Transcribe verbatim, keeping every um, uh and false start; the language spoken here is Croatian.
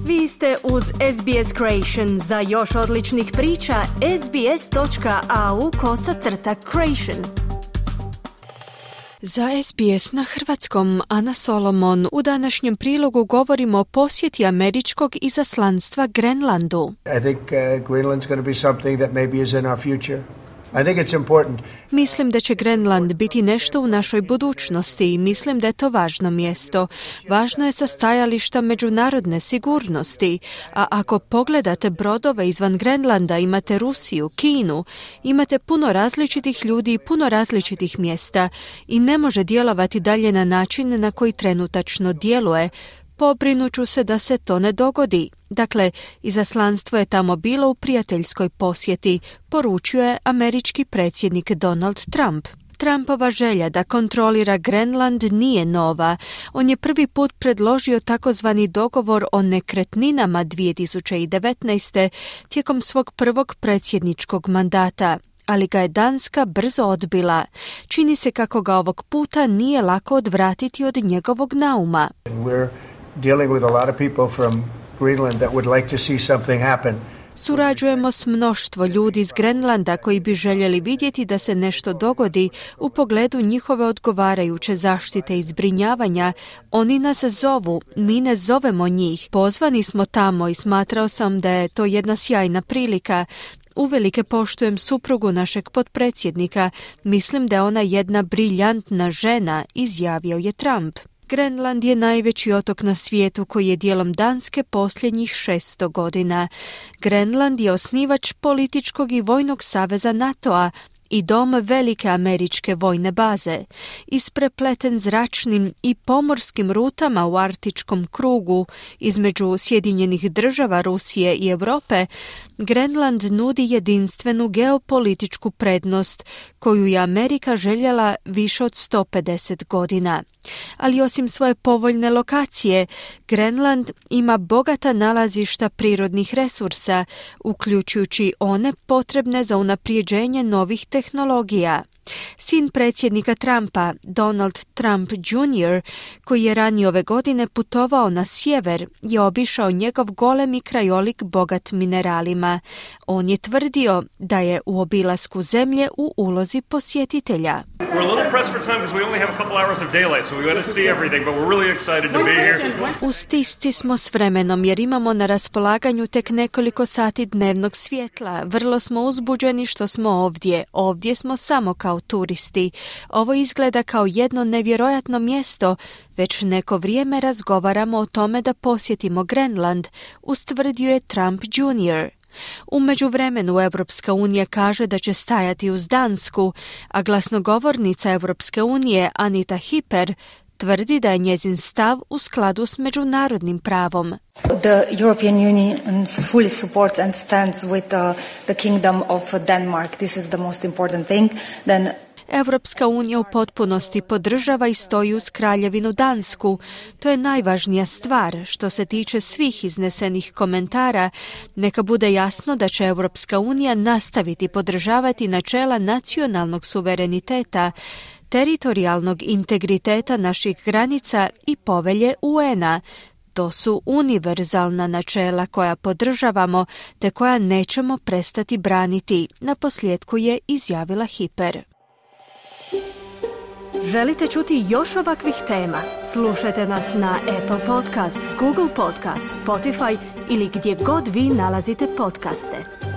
Vi ste uz S B S Creation. Za još odličnih priča, sbs.au kosacrta creation. Za S B S na hrvatskom, Ana Solomon. U današnjem prilogu govorimo o posjeti američkog izaslanstva Grenlandu. I think uh, Greenland's going to be something that maybe is in our future. I think it's important. Mislim da će Grenland biti nešto u našoj budućnosti i mislim da je to važno mjesto. Važno je sa stajališta međunarodne sigurnosti, a ako pogledate brodove izvan Grenlanda, imate Rusiju, Kinu, imate puno različitih ljudi i puno različitih mjesta i ne može djelovati dalje na način na koji trenutačno djeluje. Pobrinuću se da se to ne dogodi. Dakle, izaslanstvo je tamo bilo u prijateljskoj posjeti, poručio je američki predsjednik Donald Trump. Trumpova želja da kontrolira Grenland nije nova. On je prvi put predložio takozvani dogovor o nekretninama dvije tisuće devetnaeste. tijekom svog prvog predsjedničkog mandata, ali ga je Danska brzo odbila. Čini se kako ga ovog puta nije lako odvratiti od njegovog nauma. We're dealing with a lot of people from Greenland that would like to see something happen. Surađujemo s mnoštvo ljudi iz Grenlanda koji bi željeli vidjeti da se nešto dogodi u pogledu njihove odgovarajuće zaštite i zbrinjavanja. Oni nas zovu, mi ne zovemo njih. Pozvani smo tamo i smatrao sam da je to jedna sjajna prilika. Uvelike poštujem suprugu našeg potpredsjednika. Mislim da je ona jedna briljantna žena, izjavio je Trump. Grenland je najveći otok na svijetu koji je dijelom Danske posljednjih šesto godina. Grenland je osnivač političkog i vojnog saveza NATO-a i dom velike američke vojne baze. Isprepleten zračnim i pomorskim rutama u arktičkom krugu između Sjedinjenih država, Rusije i Europe, Grenland nudi jedinstvenu geopolitičku prednost koju je Amerika željela više od sto pedeset godina. Ali osim svoje povoljne lokacije, Grenland ima bogata nalazišta prirodnih resursa, uključujući one potrebne za unaprijeđenje novih tehnologija. Sin predsjednika Trumpa, Donald Trump junior, koji je ranije ove godine putovao na sjever, je obišao njegov golemi krajolik bogat mineralima. On je tvrdio da je u obilasku zemlje u ulozi posjetitelja. U stisci smo s vremenom jer imamo na raspolaganju tek nekoliko sati dnevnog svjetla. Vrlo smo uzbuđeni što smo ovdje. Ovdje smo samo kao turisti. Ovo izgleda kao jedno nevjerojatno mjesto. Već neko vrijeme razgovaramo o tome da posjetimo Grenland, ustvrdio je Trump junior U međuvremenu Europska unija kaže da će stajati uz Dansku, a glasnogovornica Europske unije Anita Hipper tvrdi da je njezin stav u skladu s međunarodnim pravom. The European Union fully supports and stands with uh, the Kingdom of Denmark. This is the most important thing. Then Europska unija u potpunosti podržava i stoji uz Kraljevinu Dansku. To je najvažnija stvar. Što se tiče svih iznesenih komentara, neka bude jasno da će Europska unija nastaviti podržavati načela nacionalnog suvereniteta, teritorijalnog integriteta naših granica i povelje U N-a. To su univerzalna načela koja podržavamo te koja nećemo prestati braniti, naposljetku je izjavila Hipper. Želite čuti još ovakvih tema? Slušajte nas na Apple Podcast, Google Podcast, Spotify ili gdje god vi nalazite podcaste.